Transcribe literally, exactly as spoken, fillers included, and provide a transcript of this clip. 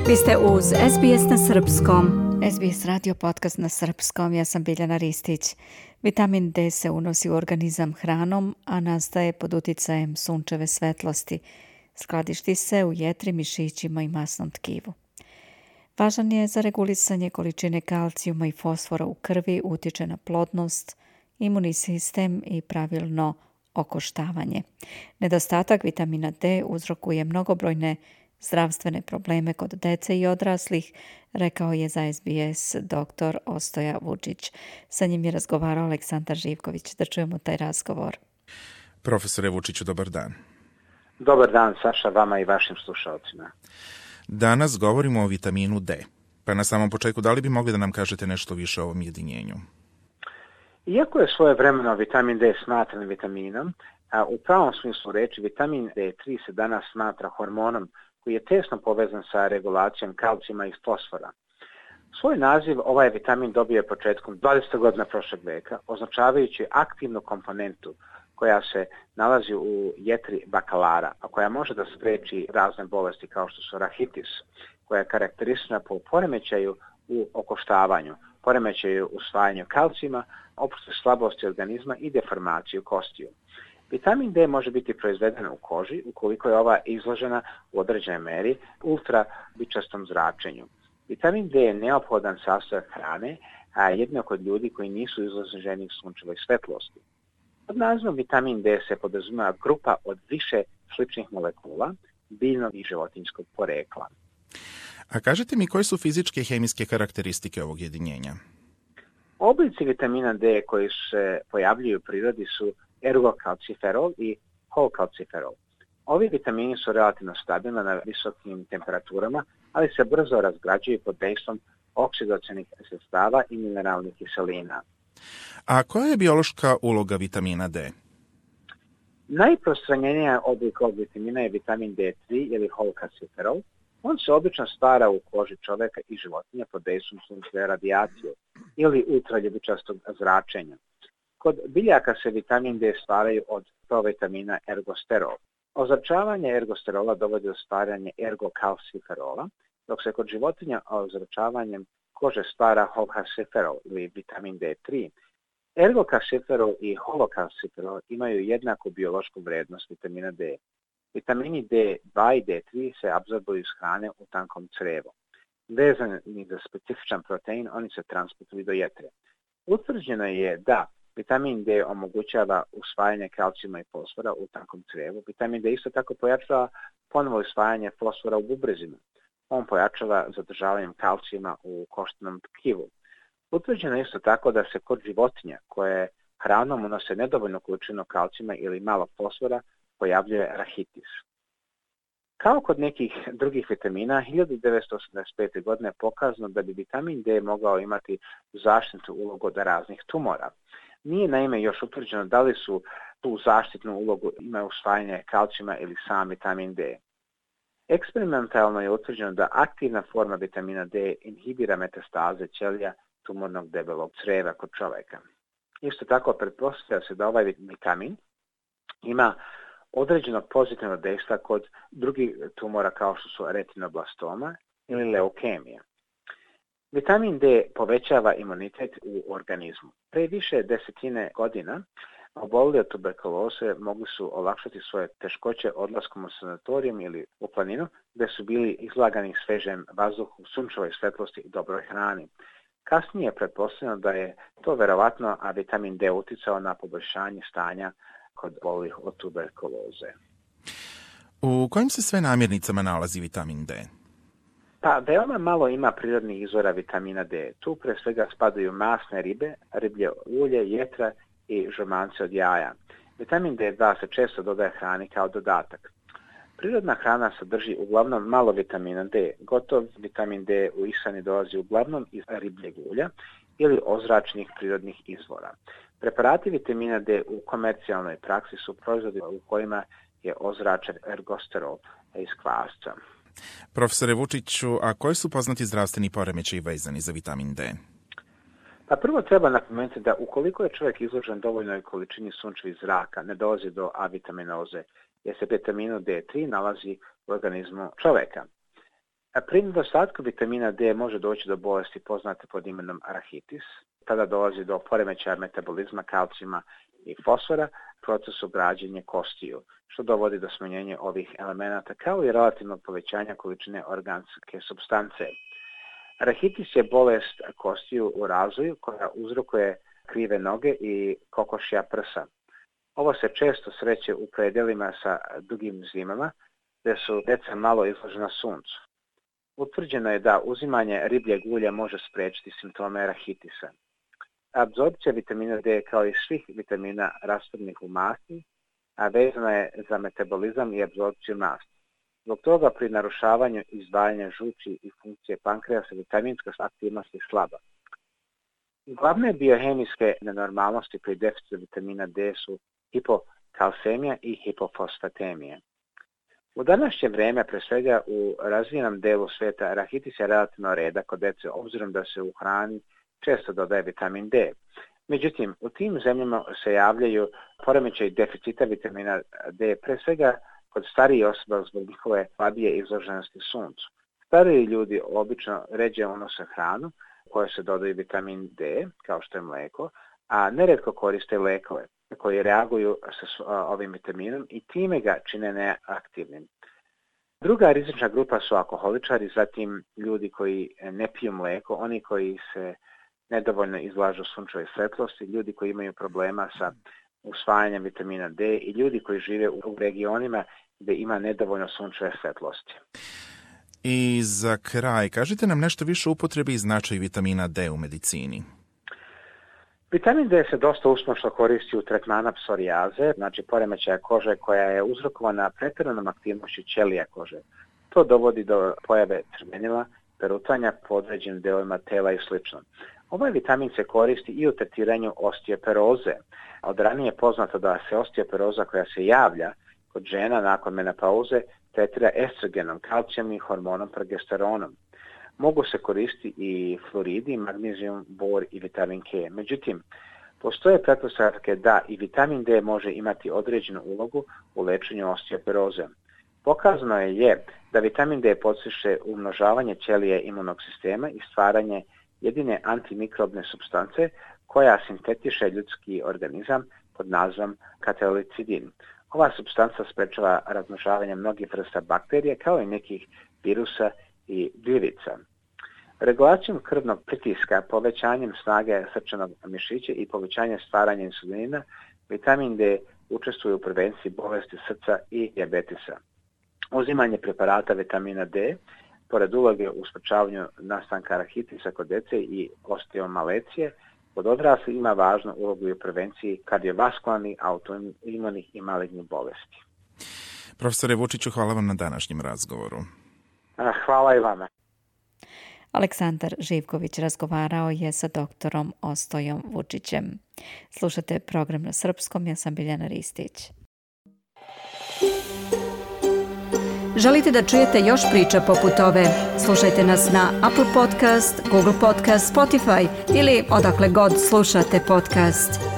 Vi ste uz S B S na srpskom. S B S radio podcast na srpskom. Ja sam Biljana Ristić. Vitamin D se unosi u organizam hranom, a nastaje pod uticajem sunčeve svetlosti. Skladišti se u jetri, mišićima i masnom tkivu. Važan je za regulisanje količine kalcijuma i fosfora u krvi, utječe na plodnost, imunni sistem i pravilno okoštavanje. Nedostatak vitamina D uzrokuje mnogobrojne zdravstvene probleme kod dece i odraslih, rekao je za S B S doktor Ostoja Vučić. Sa njim je razgovarao Aleksandar Živković. Da čujemo taj razgovor. Profesore Vučiću, dobar dan. Dobar dan, Saša, vama i vašim slušalcima. Danas govorimo o vitaminu D. Pa na samom početku, da li bi mogli da nam kažete nešto više o ovom jedinjenju? Iako je svojevremeno vitamin D smatran vitaminom, a u pravom smislu reči vitamin D tri se danas smatra hormonom koji je tesno povezan sa regulacijom kalcijuma i fosfora. Svoj naziv ovaj vitamin dobio je početkom dvadesetih godina prošlog veka, označavajući aktivnu komponentu koja se nalazi u jetri bakalara, a koja može da spreči razne bolesti kao što su rahitis, koja je karakteristična po poremećaju u okoštavanju, poremećaju usvajanju kalcijuma, opšte slabosti organizma i deformaciju kostiju. Vitamin D može biti proizveden u koži ukoliko je ova izložena u određenoj meri ultrabičastom zračenju. Vitamin D je neophodan sastojak hrane, a jedino kod ljudi koji nisu izloženi sunčevoj svetlosti. Pod nazivom vitamin D se podrazumijeva grupa od više sličnih molekula biljnog i životinjskog porekla. A kažete mi koje su fizičke i hemijske karakteristike ovog jedinjenja? Oblici vitamina D koji se pojavljuju u prirodi su ergokalciferol i holkalciferol. Ovi vitamini su relativno stabilni na visokim temperaturama, ali se brzo razgrađuju pod dejstvom oksidacionih sredstava i mineralnih kiselina. A koja je biološka uloga vitamina D? Najprostranjenija oblik ovog vitamina je vitamin D tri ili holkalciferol. On se obično stvara u koži čoveka i životinja pod dejstvom sunčeve radijacije ili ultraljubičastog zračenja. Kod biljaka se vitamin D stvaraju od provitamina ergosterol. Ozračavanje ergosterola dovodi do stvaranja ergokalciferola, dok se kod životinja ozračavanjem kože stvara holkalciferol ili vitamin D tri. Ergokalciferol i holokalciferol imaju jednaku biološku vrednost vitamina D. Vitamini D dva i D tri se apsorbuju iz hrane u tankom crevu. Vezani za specifičan protein, oni se transportuju do jetre. Utvrđeno je da vitamin D omogućava usvajanje kalcijuma i fosfora u tankom crevu. Vitamin D isto tako pojačava ponovo usvajanje fosfora u bubrezima. On pojačava zadržavanjem kalcijuma u koštanom tkivu. Utvrđeno je isto tako da se kod životinja koje hranom unose nedovoljnu količinu kalcijuma ili malo fosfora pojavljuje rahitis. Kao kod nekih drugih vitamina, hiljadu devetsto osamdeset pete. godine je pokazano da bi vitamin D mogao imati zaštitnu ulogu od raznih tumora. Nije naime još utvrđeno da li su tu zaštitnu ulogu imaju usvajanje kalcijuma ili sam vitamin D. Eksperimentalno je utvrđeno da aktivna forma vitamina D inhibira metastaze ćelija tumornog debelog creva kod čoveka. Isto tako pretpostavlja se da ovaj vitamin ima određenog pozitivnog dejstva kod drugih tumora kao što su retinoblastoma ili leukemija. Vitamin D povećava imunitet u organizmu. Pre više desetine godina oboleli od tuberkuloze mogli su olakšati svoje teškoće odlaskom u sanatorijum ili u planinu, gde su bili izlagani svežem vazduhu, sunčevoj svetlosti i dobroj hrani. Kasnije je pretpostavljeno da je to verovatno, a vitamin D uticao na poboljšanje stanja kod obolelih od tuberkuloze. U kojim se sve namirnicama nalazi vitamin D? Pa, veoma malo ima prirodnih izvora vitamina D. Tu pre svega spadaju masne ribe, riblje ulje, jetra i žumance od jaja. Vitamin D dva se često dodaje hrani kao dodatak. Prirodna hrana sadrži uglavnom malo vitamina D. Gotov vitamin D u ishrani dolazi uglavnom iz ribljeg ulja ili ozračnih prirodnih izvora. Preparati vitamina D u komercijalnoj praksi su proizvodi u kojima je ozračen ergosterol iz kvasca. Profesore Vučiću, a koji su poznati zdravstveni poremećaji vezani za vitamin D? Pa prvo treba napomenuti da ukoliko je čovjek izložen dovoljnoj količini sunčevih zraka, ne dolazi do avitaminoze, jer se vitaminu D tri nalazi u organizmu čovjeka. Pri nedostatku vitamina D može doći do bolesti poznate pod imenom arahitis. Tada dolazi do poremećaja metabolizma kalcijuma i fosfora, procesu građenja kostiju, što dovodi do smanjenja ovih elemenata kao i relativnog povećanja količine organske supstance. Arahitis je bolest kostiju u razvoju koja uzrokuje krive noge i kokošja prsa. Ovo se često sreće u predelima sa dugim zimama, gdje su deca malo izložena suncu. Utvrđeno je da uzimanje ribljeg ulja može spriječiti simptome arahitisa. Apsorpcija vitamina D kao i svih vitamina rastvornih u masti, a vezana je za metabolizam i apsorpciju masti. Zbog toga pri narušavanju izdvajanja žuči i funkcije pankreasa vitaminska aktivnost je slaba. Glavne biohemijske nenormalnosti pri deficitu vitamina D su hipokalsemija i hipofosfatemija. U današnje vrijeme, pre svega u razvijenom delu svijeta, arahitis je relativno redak kod dece, obzirom da se u hrani često dodaje vitamin D. Međutim, u tim zemljama se javljaju poremećaji deficita vitamina D, pre svega kod starijih osoba zbog njihove slabije izloženosti suncu. Stariji ljudi obično ređe unose hranu u kojoj se dodaju vitamin D, kao što je mlijeko, a neretko koriste lekove koji reaguju sa ovim vitaminom i time ga čine neaktivnim. Druga rizična grupa su alkoholičari, zatim ljudi koji ne piju mlijeko, oni koji se nedovoljno izlažu sunčevoj svetlosti, ljudi koji imaju problema sa usvajanjem vitamina D i ljudi koji žive u regionima gdje ima nedovoljno sunčeve svetlosti. I za kraj, kažite nam nešto više o upotrebi i značaju vitamina D u medicini. Vitamin D se dosta uspješno koristi u tretmanu psorijaze, znači poremećaja kože koja je uzrokovana pretjeranom aktivnošću ćelija kože. To dovodi do pojave crvenila, perutanja po određenim delovima tela i sl. Ovaj vitamin se koristi i u tretiranju osteoporoze. Od ranije je poznato da se osteoporoza koja se javlja kod žena nakon menopauze tretira estrogenom, kalcijom i hormonom progesteronom. Mogu se koristiti i fluoridi, magnezijum, bor i vitamin K. Međutim, postoje pretpostavke da i vitamin D može imati određenu ulogu u lečenju osteoporoze. Pokazano je, je da vitamin D podstiče umnožavanje ćelije imunog sistema i stvaranje jedine antimikrobne supstance koja sintetiše ljudski organizam pod nazvom katalicidin. Ova supstanca sprečava razmnožavanje mnogih vrsta bakterija kao i nekih virusa i gljivica. Regulacijom krvnog pritiska, povećanjem snage srčanog mišića i povećanjem stvaranja insulina, vitamin D učestvuje u prevenciji bolesti srca i dijabetesa. Uzimanje preparata vitamina D, pored uloge u sprečavanju nastanka arahitisa kod dece i osteomalecije, kod odraslih ima važnu ulogu i u prevenciji kardiovaskularnih, autoimunih i malignih bolesti. Profesore Vučiću, hvala vam na današnjem razgovoru. Hvala i vama. Aleksandar Živković razgovarao je sa doktorom Ostojom Vučićem. Slušate program na srpskom, ja sam Biljana Ristić. Želite da čujete još priča poput ove? Slušajte nas na Apple Podcast, Google Podcast, Spotify ili odakle god slušate podcast.